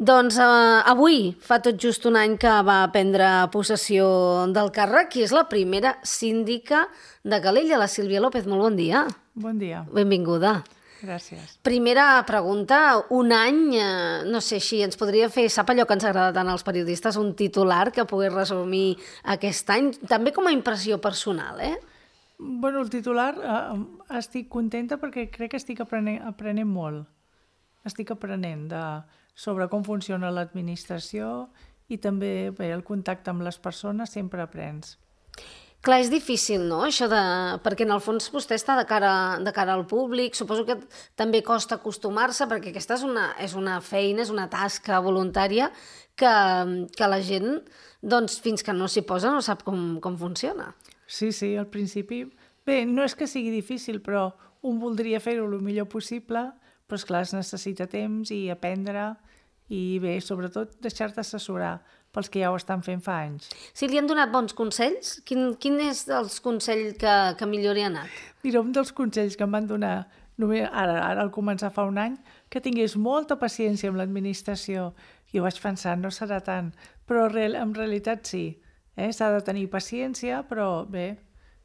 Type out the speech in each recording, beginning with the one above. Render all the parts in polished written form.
Doncs avui fa tot just un any que va prendre possessió del càrrec i és la primera síndica de Calella, la Sílvia López. Molt bon dia. Bon dia. Benvinguda. Gràcies. Primera pregunta, un any, no sé si ens podria fer, sap allò que ens agrada tant als periodistes, un titular que pogués resumir aquest any, també com a impressió personal, Bueno, el titular, estic contenta perquè crec que estic aprenent molt. Estic aprenent sobre com funciona l'administració i també el contacte amb les persones sempre aprens. Clar, és difícil, no?, això perquè en el fons vostè està de cara al públic, suposo que també costa acostumar-se, perquè aquesta és una feina, és una tasca voluntària que la gent, doncs, fins que no s'hi posa, no sap com funciona. Sí, al principi... Bé, no és que sigui difícil, però un voldria fer-ho el millor possible, però esclar, es necessita temps i aprendre i bé, sobretot deixar-te assessorar pels que ja ho estan fent fa anys. Si li han donat bons consells, quin és els consells que millor li ha anat? Mira, un dels consells que em van donar ara al començar fa un any, que tingués molta paciència amb l'administració. Jo vaig pensar, no serà tant, però en realitat sí. S'ha de tenir paciència, però bé,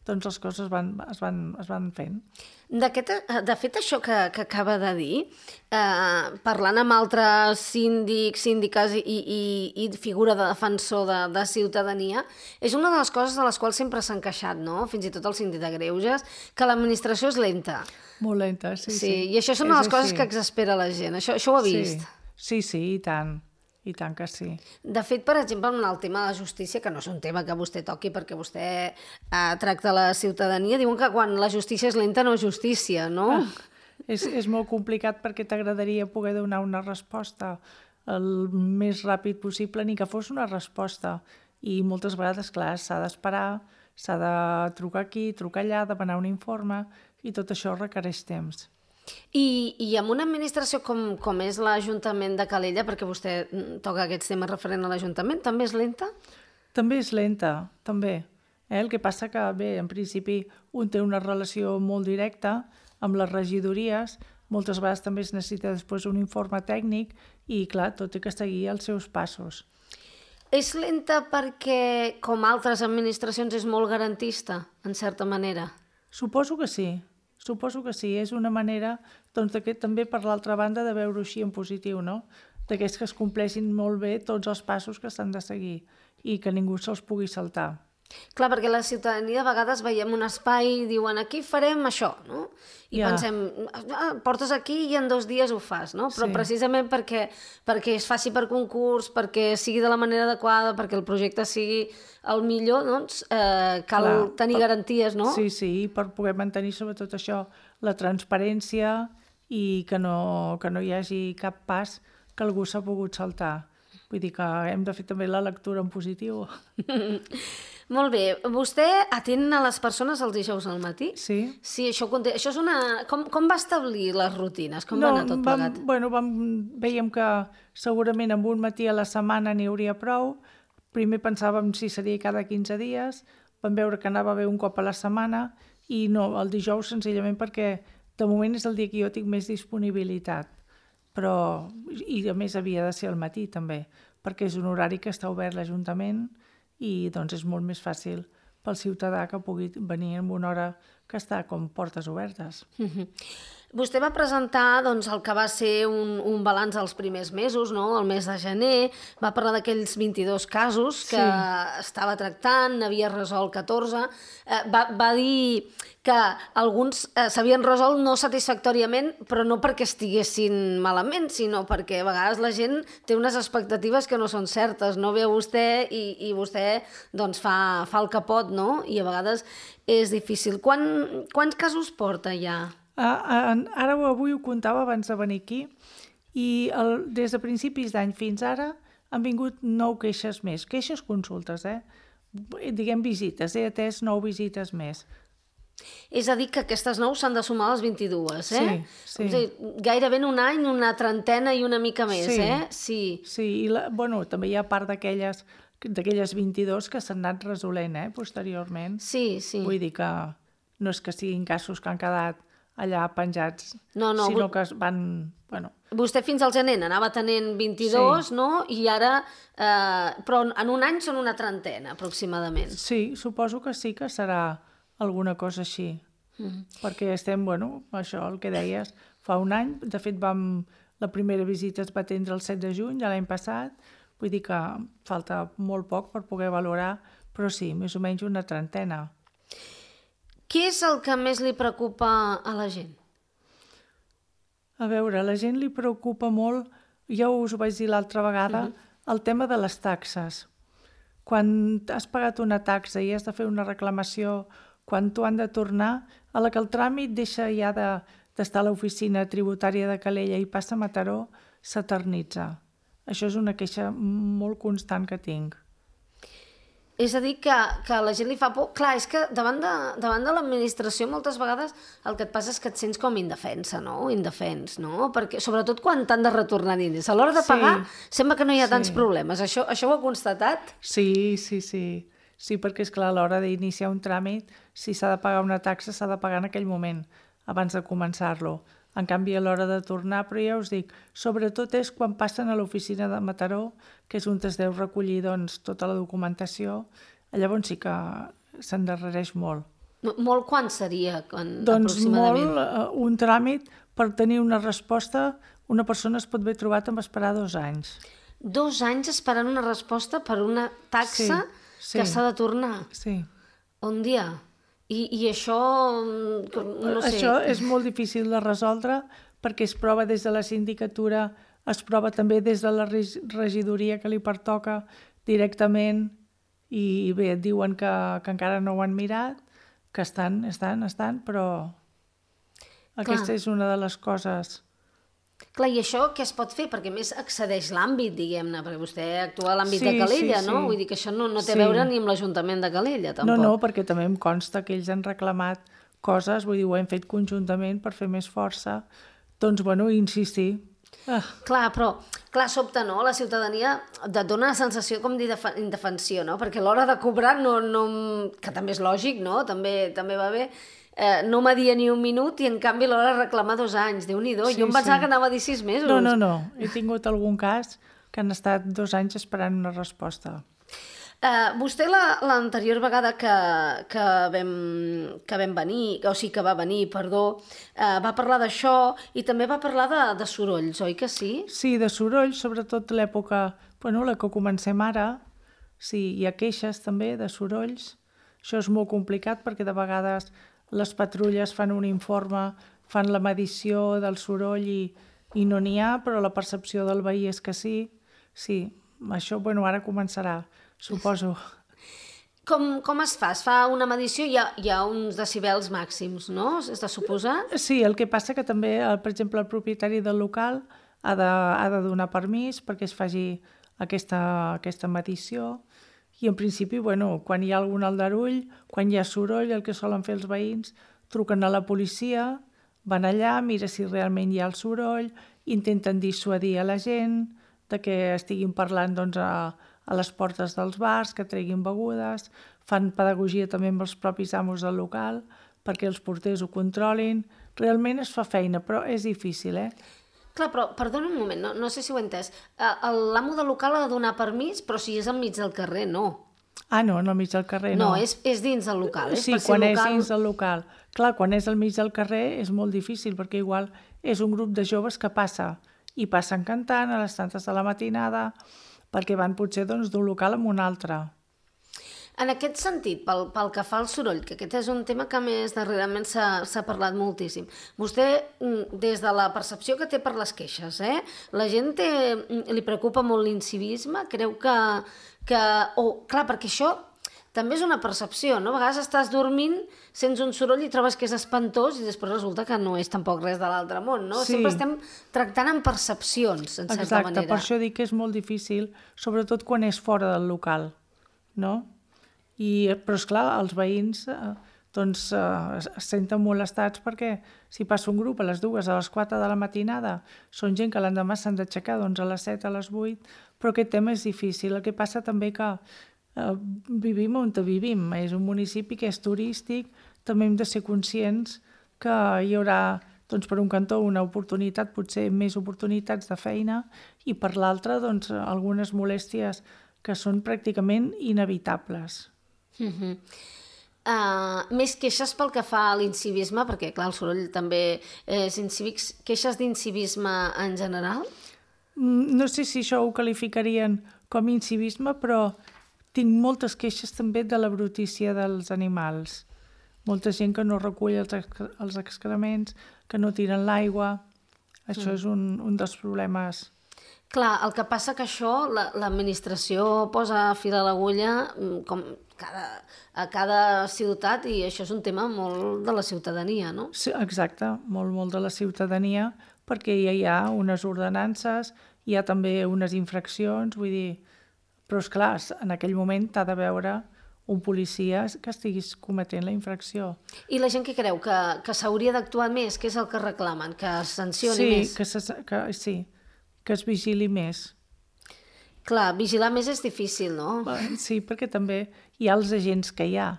doncs les coses es van fent. De fet, això que acaba de dir, parlant amb altres síndics, síndiques i figura de defensor de ciutadania, és una de les coses de les quals sempre s'han queixat, no? Fins i tot el síndic de Greuges, que l'administració és lenta. Molt lenta, sí. I això són les coses que exaspera la gent. Això ho ha vist? Sí, i tant. I tant que sí. De fet, per exemple, en el tema de la justícia, que no és un tema que vostè toqui perquè vostè tracta la ciutadania, diuen que quan la justícia és lenta no és justícia, no? És molt complicat perquè t'agradaria poder donar una resposta el més ràpid possible, ni que fos una resposta. I moltes vegades, clar, s'ha d'esperar, s'ha de trucar aquí, trucar allà, demanar un informe, i tot això requereix temps. I amb una administració com és l'Ajuntament de Calella, perquè vostè toca aquests temes referent a l'Ajuntament, també és lenta? També és lenta, també. El que passa que, bé, en principi un té una relació molt directa amb les regidories, moltes vegades també es necessita després un informe tècnic i, clar, tot té que seguir els seus passos. És lenta perquè, com altres administracions, és molt garantista, en certa manera? Suposo que sí. És una manera, doncs, també per l'altra banda de veure-ho així en positiu, no? D'aquests que es compleixin molt bé tots els passos que s'han de seguir i que ningú se'ls pugui saltar. Clar, perquè la ciutadania a vegades veiem un espai i diuen aquí farem això, no? I pensem, portes aquí i en 2 dies ho fas, no? Però precisament perquè es faci per concurs, perquè sigui de la manera adequada, perquè el projecte sigui el millor, doncs cal tenir garanties, no? Sí, per poder mantenir sobretot això, la transparència i que no hi hagi cap pas que algú s'ha pogut saltar. Vull dir que hem de fer també la lectura en positiu. Molt bé. Vostè atén a les persones els dijous al matí? Sí. Sí, això és una... Com va establir les rutines? Com va anar tot plegat? Vèiem que segurament amb un matí a la setmana n'hi hauria prou. Primer pensàvem si seria cada 15 dies. Vam veure que anava bé un cop a la setmana i no, el dijous senzillament perquè de moment és el dia que jo tinc més disponibilitat. I a més havia de ser al matí també, perquè és un horari que està obert l'Ajuntament i doncs és molt més fàcil pel ciutadà que pugui venir en una hora que està com portes obertes. Vostè va presentar doncs, el que va ser un balanç dels primers mesos, no? El mes de gener, va parlar d'aquells 22 casos que estava tractant, n'havia resolt 14, va dir que alguns s'havien resolt no satisfactòriament, però no perquè estiguessin malament, sinó perquè a vegades la gent té unes expectatives que no són certes, no ve a vostè i vostè doncs, fa el que pot, no? I a vegades és difícil. Quants casos porta ja? Ara avui ho comptava abans de venir aquí i des de principis d'any fins ara han vingut 9 queixes més, queixes consultes, diguem visites, he atès 9 visites més. És a dir, que aquestes 9 s'han de sumar a les 22, Sí. És a dir, gairebé en un any, una trentena i una mica més, Sí, i també hi ha part d'aquelles 22 que s'han anat resolent, posteriorment. Sí. Vull dir que no és que siguin casos que han quedat allà penjats, No, sinó que es van... Bueno, Vostè fins al gener anava tenint 22, no? I ara... però en un any són una trentena, aproximadament. sí, suposo que sí que serà alguna cosa així. Perquè estem, bueno, això, el que deies, fa un any, de fet la primera visita es va atendre el 7 de juny de l'any passat, vull dir que falta molt poc per poder valorar, però sí, més o menys una trentena. Què és el que més li preocupa a la gent? A veure, a la gent li preocupa molt, ja us ho vaig dir l'altra vegada, el tema de les taxes. Quan has pagat una taxa i has de fer una reclamació, quan t'ho han de tornar, a la que el tràmit deixa ja d'estar a l'oficina tributària de Calella i passa a Mataró, s'eternitza. Això és una queixa molt constant que tinc. És a dir, que a la gent li fa por. Clar, és que davant de l'administració moltes vegades el que et passa és que et sents com indefensa, no? Indefens, no? Perquè, sobretot quan t'han de retornar diners. A l'hora de pagar sembla que no hi ha tants problemes. Això ho ha constatat? Sí. Sí, perquè és clar, a l'hora d'iniciar un tràmit, si s'ha de pagar una taxa, s'ha de pagar en aquell moment, abans de començar-lo. En canvi, a l'hora de tornar, però ja us dic, sobretot és quan passen a l'oficina de Mataró, que és on es deu recollir doncs, tota la documentació, llavors sí que s'endarrereix molt. Molt quan seria, Doncs aproximadament? Molt, un tràmit, per tenir una resposta, una persona es pot haver trobat amb esperar 2 anys. 2 anys esperant una resposta per una taxa que s'ha de tornar? Sí. Un dia? I això, no sé... Això és molt difícil de resoldre perquè es prova des de la sindicatura, es prova també des de la regidoria que li pertoca directament i bé, et diuen que encara no ho han mirat, que estan, però aquesta és una de les coses... Clar, i això què es pot fer? Perquè més excedeix l'àmbit, diguem-ne, perquè vostè actua a l'àmbit de Calella, no? Vull dir que això no té a veure ni amb l'Ajuntament de Calella, tampoc. No, perquè també em consta que ells han reclamat coses, vull dir, ho hem fet conjuntament per fer més força. Doncs, bueno, insistir. Clar, però, sobte, no? La ciutadania et dona la sensació com d'indefensió, no? Perquè a l'hora de cobrar, que també és lògic, no? També va bé, no m'adia ni un minut i en canvi l'hora de reclamar 2 anys. Déu-n'hi-do. Jo em pensava que anava a dir 6 mesos. No. He tingut algun cas que han estat 2 anys esperant una resposta. Vostè l'anterior vegada que vam venir, o sigui que va venir, va parlar d'això i també va parlar de sorolls, oi que sí? Sí, de sorolls, sobretot l'època, la que comencem ara, sí, hi ha queixes també de sorolls. Això és molt complicat perquè de vegades les patrulles fan un informe, fan la medició del soroll i no n'hi ha, però la percepció del veí és que sí. Sí, això, ara començarà, suposo. Com es fa? Es fa una medició, hi ha uns decibels màxims, no? És de suposar? Sí, el que passa que també, per exemple, el propietari del local ha de donar permís perquè es faci aquesta medició. I en principi, quan hi ha algun aldarull, quan hi ha soroll, el que solen fer els veïns, truquen a la policia, van allà, mira si realment hi ha el soroll, intenten dissuadir a la gent de que estiguin parlant a les portes dels bars, que treguin begudes, fan pedagogia també amb els propis amos del local perquè els porters ho controlin. Realment es fa feina, però és difícil, Clar, però, perdona un moment, no sé si ho he entès. L'amo del local ha de donar permís, però si és al mig del carrer, no. No, al mig del carrer no. No, és dins del local. Sí, quan és dins del local. Clar, quan és al mig del carrer és molt difícil, perquè igual és un grup de joves que passa, i passen cantant a les tantes de la matinada, perquè van potser d'un local a un altre. En aquest sentit, pel que fa al soroll, que aquest és un tema que més darrerament s'ha parlat moltíssim, vostè, des de la percepció que té per les queixes, la gent li preocupa molt l'incivisme? Creu clar, perquè això també és una percepció, no? A vegades estàs dormint, sents un soroll i trobes que és espantós i després resulta que no és tampoc res de l'altre món, no? Sí. Sempre estem tractant amb percepcions, en certa manera. Exacte, per això dic que és molt difícil, sobretot quan és fora del local, no? Però, esclar, els veïns es senten molestats perquè si passa un grup a les 2, a les 4 de la matinada, són gent que l'endemà s'han d'aixecar a les 7, a les 8, però aquest tema és difícil. El que passa també que vivim on vivim, és un municipi que és turístic, també hem de ser conscients que hi haurà, doncs, per un cantó una oportunitat, potser més oportunitats de feina, i per l'altre, doncs, algunes molèsties que són pràcticament inevitables. Més queixes pel que fa a l'incivisme, perquè clar, el soroll també és incívic, queixes d'incivisme en general? No sé si això ho qualificarien com incivisme, però tinc moltes queixes també de la brutícia dels animals. Molta gent que no recull els excrements, que no tiren l'aigua. Això és un dels problemes. Clar, el que passa que això l'administració posa fil a l'agulla com a cada ciutat, i això és un tema molt de la ciutadania, no? Sí, exacte, molt de la ciutadania, perquè ja hi ha unes ordenances, hi ha també unes infraccions, vull dir... Però, esclar, en aquell moment t'ha de veure un policia que estiguis cometent la infracció. I la gent què creu? Que s'hauria d'actuar més? Què és el que reclamen? Que es sancioni més? Sí, que es vigili més. Clar, vigilar més és difícil, no? Sí, perquè també hi ha els agents que hi ha,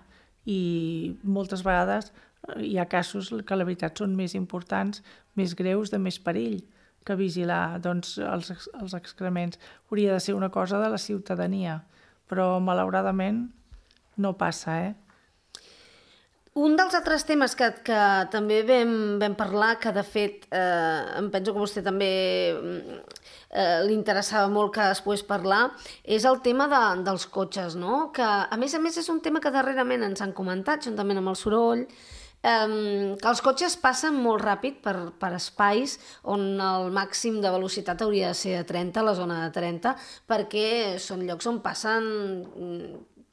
i moltes vegades hi ha casos que la veritat són més importants, més greus, de més perill, que vigilar doncs, els excrements. Hauria de ser una cosa de la ciutadania, però malauradament no passa, Un dels altres temes que també vam parlar, que de fet em penso que vostè també li interessava molt que es pogués parlar, és el tema dels cotxes, no? Que a més és un tema que darrerament ens han comentat, juntament amb el soroll, que els cotxes passen molt ràpid per espais on el màxim de velocitat hauria de ser de 30, la zona de 30, perquè són llocs on passen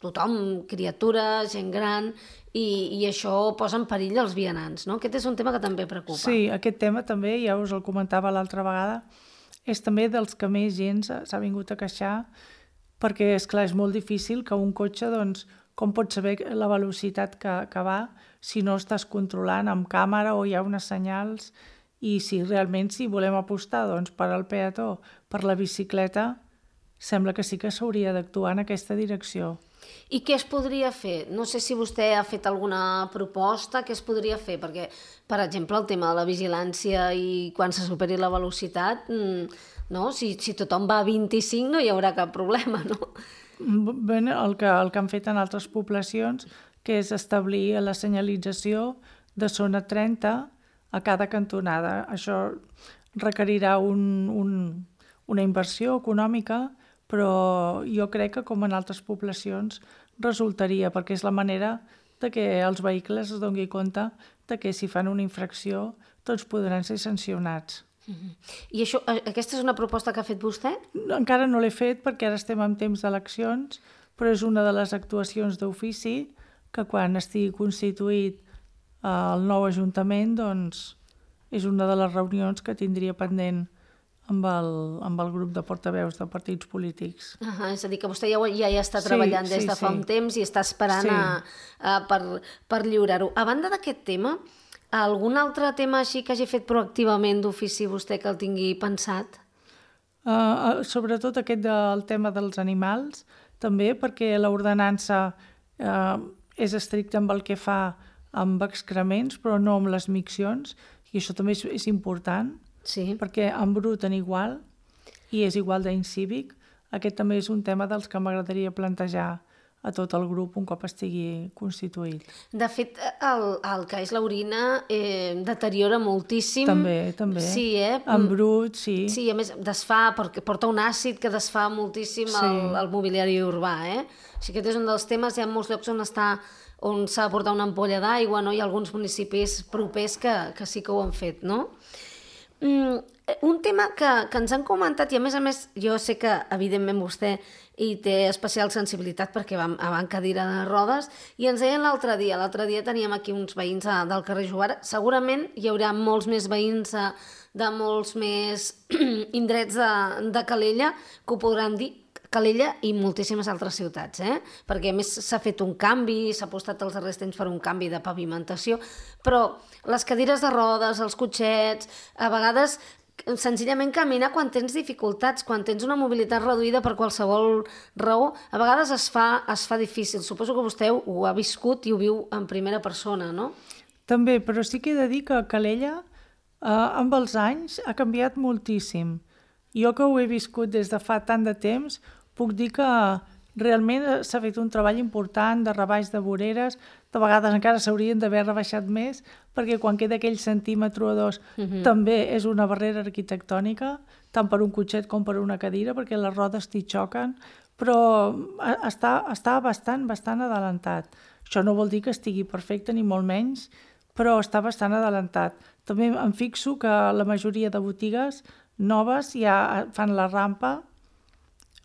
tothom, criatures, gent gran, i això posa en perill els vianants, no? Aquest és un tema que també preocupa. Sí, aquest tema també, ja us el comentava l'altra vegada, és també dels que més gent s'ha vingut a queixar, perquè, esclar, és molt difícil que un cotxe, doncs, com pots saber la velocitat que va si no estàs controlant amb càmera o hi ha unes senyals, i si realment volem apostar doncs, per al peató, per la bicicleta, sembla que sí que s'hauria d'actuar en aquesta direcció. I què es podria fer? No sé si vostè ha fet alguna proposta, què es podria fer? Perquè, per exemple, el tema de la vigilància i quan se superi la velocitat, no? Si tothom va a 25 no hi haurà cap problema, no? Bé, el que han fet en altres poblacions, que és establir la senyalització de zona 30 a cada cantonada. Això requerirà una inversió econòmica, però jo crec que, com en altres poblacions, resultaria, perquè és la manera de que els vehicles es doni compte de que si fan una infracció tots podran ser sancionats. I aquesta és una proposta que ha fet vostè? Encara no l'he fet perquè ara estem en temps d'eleccions, però és una de les actuacions d'ofici que quan estigui constituït el nou Ajuntament, doncs és una de les reunions que tindria pendent amb el grup de portaveus de partits polítics. És a dir, que vostè ja hi està treballant des de fa un temps i està esperant per lliurar-ho. A banda d'aquest tema, algun altre tema així que hagi fet proactivament d'ofici vostè que el tingui pensat? Sobretot aquest del tema dels animals, també perquè l'ordenança és estricta amb el que fa amb excrements, però no amb les miccions, i això també és important. Sí. Perquè en brut en igual, i és igual d'incívic. Aquest també és un tema dels que m'agradaria plantejar a tot el grup un cop estigui constituït. De fet, el que és l'orina deteriora moltíssim. També. Sí, En brut, sí. Sí, a més, desfà, perquè porta un àcid que desfà moltíssim el mobiliari urbà, Així que aquest és un dels temes, hi ha molts llocs on s'ha de portar una ampolla d'aigua, no? Hi ha alguns municipis propers que sí que ho han fet, no? Un tema que ens han comentat, i a més jo sé que evidentment vostè hi té especial sensibilitat perquè va en cadira de rodes, i ens deien l'altre dia teníem aquí uns veïns del carrer Jovara, segurament hi haurà molts més veïns de molts més indrets de Calella que ho podran dir, Calella i moltíssimes altres ciutats, perquè a més s'ha fet un canvi, s'ha apostat els darrers temps per un canvi de pavimentació, però les cadires de rodes, els cotxets, a vegades senzillament caminar quan tens dificultats, quan tens una mobilitat reduïda per qualsevol raó, a vegades es fa difícil. Suposo que vostè ho ha viscut i ho viu en primera persona, no? També, però sí que he de dir que Calella, amb els anys, ha canviat moltíssim. Jo que ho he viscut des de fa tant de temps, puc dir que realment s'ha fet un treball important de rebaix de voreres, de vegades encara s'haurien d'haver rebaixat més, perquè quan queda aquell centímetre o dos també és una barrera arquitectònica, tant per un cotxet com per una cadira, perquè les rodes t'hi xoquen, però està bastant adelantat. Això no vol dir que estigui perfecte ni molt menys, però està bastant adelantat. També em fixo que la majoria de botigues noves ja fan la rampa,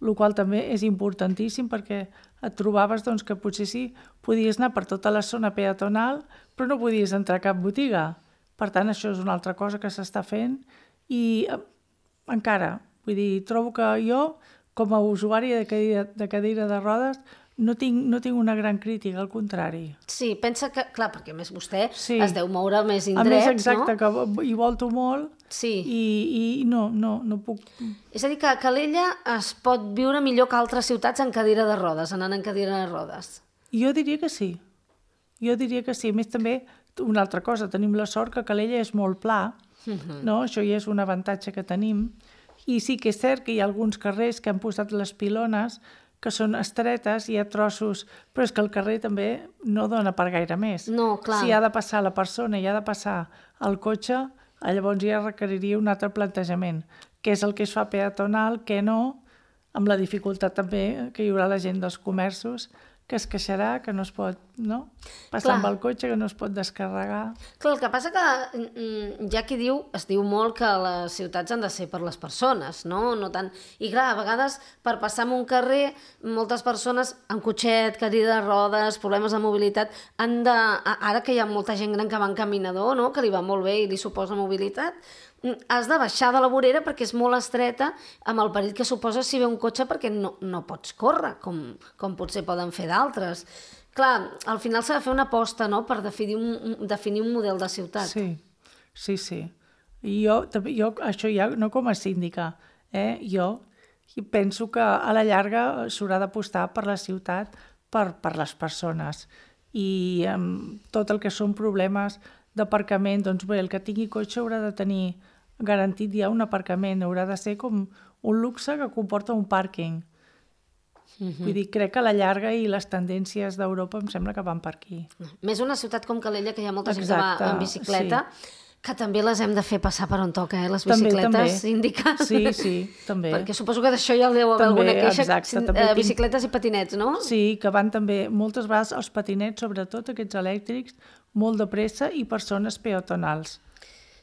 el qual també és importantíssim perquè et trobaves doncs, que potser sí, podies anar per tota la zona peatonal, però no podies entrar a cap botiga. Per tant, això és una altra cosa que s'està fent i encara, vull dir, trobo que jo, com a usuari de cadira de rodes, no tinc una gran crítica, al contrari. Sí, pensa que, clar, perquè a més vostè es deu moure més indrets, no? A més, exacte, que hi volto molt i no puc... És a dir, que a Calella es pot viure millor que altres ciutats en cadira de rodes, anant en cadira de rodes. Jo diria que sí. A més, també, una altra cosa, tenim la sort que Calella és molt pla, no? Això ja és un avantatge que tenim. I sí que és cert que hi ha alguns carrers que han posat les pilones que són estretes, hi ha trossos, però és que el carrer també no dona per gaire més. No, clar. Si ha de passar la persona i ha de passar el cotxe, llavors ja requeriria un altre plantejament, què és el que es fa peatonal, què no, amb la dificultat també que hi haurà la gent dels comerços, que es queixarà, que no es pot passar amb el cotxe, que no es pot descarregar. Clar, el que passa que ja qui diu, es diu molt que les ciutats han de ser per les persones, no? No tant... I clar, a vegades per passar en un carrer, moltes persones amb cotxet, cadira de rodes, problemes de mobilitat, han de... Ara que hi ha molta gent gran que va en caminador, no? Que li va molt bé i li suposa mobilitat, has de baixar de la vorera perquè és molt estreta amb el perill que suposa si ve un cotxe perquè no pots córrer, com potser poden fer d'altres. Clar, al final s'ha de fer una aposta, no?, per definir un model de ciutat. Sí. I jo, això ja no com a síndica, jo penso que a la llarga s'haurà d'apostar per la ciutat, per les persones. I tot el que són problemes d'aparcament, doncs bé, el que tingui cotxe haurà de tenir garantit ja un aparcament, haurà de ser com un luxe que comporta un pàrquing. Vull dir, crec que a la llarga i les tendències d'Europa em sembla que van per aquí. Més una ciutat com Calella, que hi ha molta gent que va en bicicleta, que també les hem de fer passar per on toca, les bicicletes, síndica. Sí, també. Perquè suposo que d'això ja deu haver alguna queixa, bicicletes i patinets, no? Sí, que van també, moltes vegades els patinets, sobretot aquests elèctrics, molt de pressa i persones peatonals.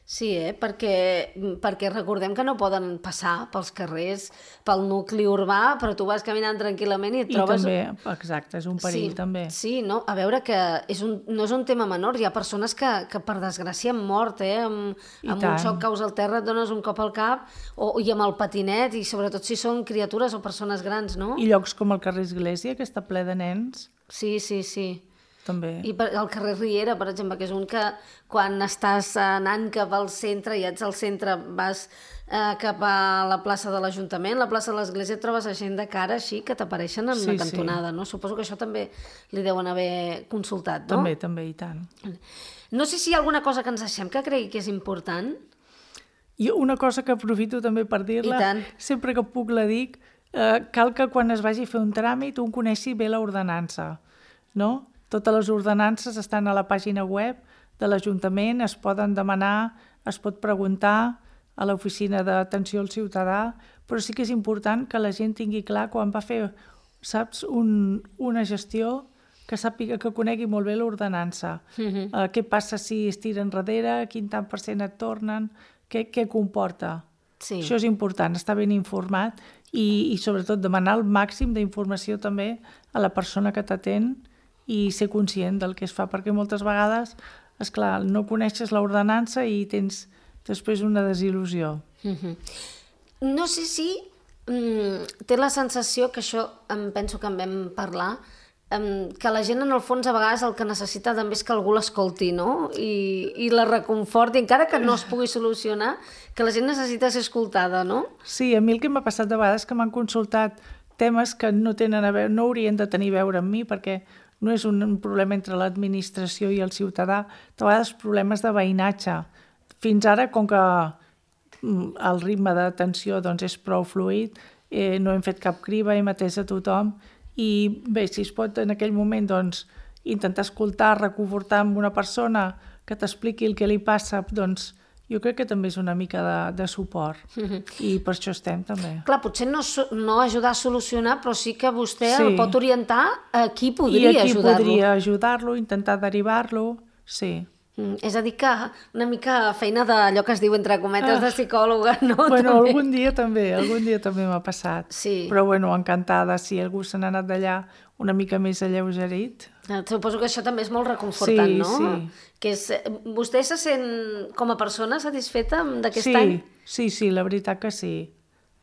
Sí, perquè recordem que no poden passar pels carrers, pel nucli urbà, però tu vas caminant tranquil·lament i et trobes... I també, exacte, és un perill, també. Sí, no? A veure que no és un tema menor, hi ha persones que per desgràcia han mort, amb un xoc caus al terra, et dones un cop al cap, i amb el patinet, i sobretot si són criatures o persones grans, no? I llocs com el carrer Església, que està ple de nens. Sí. També. I el carrer Riera, per exemple, que és un que quan estàs anant cap al centre i ets al centre, vas cap a la plaça de l'Ajuntament, la plaça de l'Església, trobes gent de cara així que t'apareixen en la cantonada, no? Suposo que això també li deuen haver consultat, no? També, i tant. No sé si hi ha alguna cosa que ens deixem que cregui que és important. I una cosa que aprofito també per dir-la, sempre que puc la dic, cal que quan es vagi a fer un tràmit un coneixi bé l'ordenança, no? Totes les ordenances estan a la pàgina web de l'Ajuntament, es poden demanar, es pot preguntar a l'oficina d'atenció al ciutadà, però sí que és important que la gent tingui clar quan va fer, saps, una gestió que sàpiga, que conegui molt bé l'ordenança. Què passa si es tira enrere, quin tant % et tornen, què comporta. Sí. Això és important, estar ben informat i sobretot demanar el màxim d'informació també a la persona que t'atén i ser conscient del que es fa, perquè moltes vegades, esclar, no coneixes l'ordenança i tens després una desil·lusió. No sé si té la sensació, que això em penso que en vam parlar, que la gent en el fons a vegades el que necessita també és que algú l'escolti, no? I la reconforti, encara que no es pugui solucionar, que la gent necessita ser escoltada, no? Sí, a mi el que m'ha passat de vegades que m'han consultat temes que no tenen a veure, no haurien de tenir a veure amb mi, perquè no és un problema entre l'administració i el ciutadà, de vegades problemes de veïnatge. Fins ara, com que el ritme d'atenció doncs, és prou fluid, no hem fet cap criba, hem atès a tothom, i bé, si es pot en aquell moment doncs, intentar escoltar, reconfortar amb una persona que t'expliqui el que li passa, doncs jo crec que també és una mica de suport i per això estem també. Clar, potser no ajudar a solucionar, però sí que vostè el pot orientar a qui podria ajudar-lo. I a qui podria ajudar-lo, intentar derivar-lo, sí. És a dir que una mica feina d'allò que es diu entre cometes de psicòloga, no? Bueno, algun dia també m'ha passat. Sí. Però bueno, encantada, si algú se n'ha anat d'allà una mica més alleugerit. Suposo que això també és molt reconfortant, no? Sí. Que vostè se sent com a persona satisfeta d'aquest any? Sí, la veritat que sí.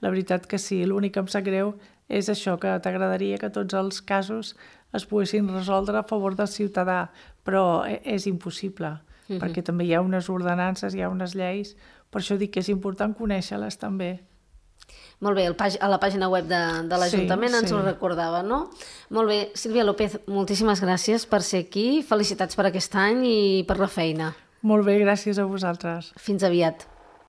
La veritat que sí. L'únic que em sap greu és això, que t'agradaria que tots els casos es poguessin resoldre a favor del ciutadà, però és impossible, perquè també hi ha unes ordenances, hi ha unes lleis, per això dic que és important conèixer-les també. Molt bé, a la pàgina web de l'Ajuntament ens ho recordava, no? Molt bé, Sílvia López, moltíssimes gràcies per ser aquí, felicitats per aquest any i per la feina. Molt bé, gràcies a vosaltres. Fins aviat.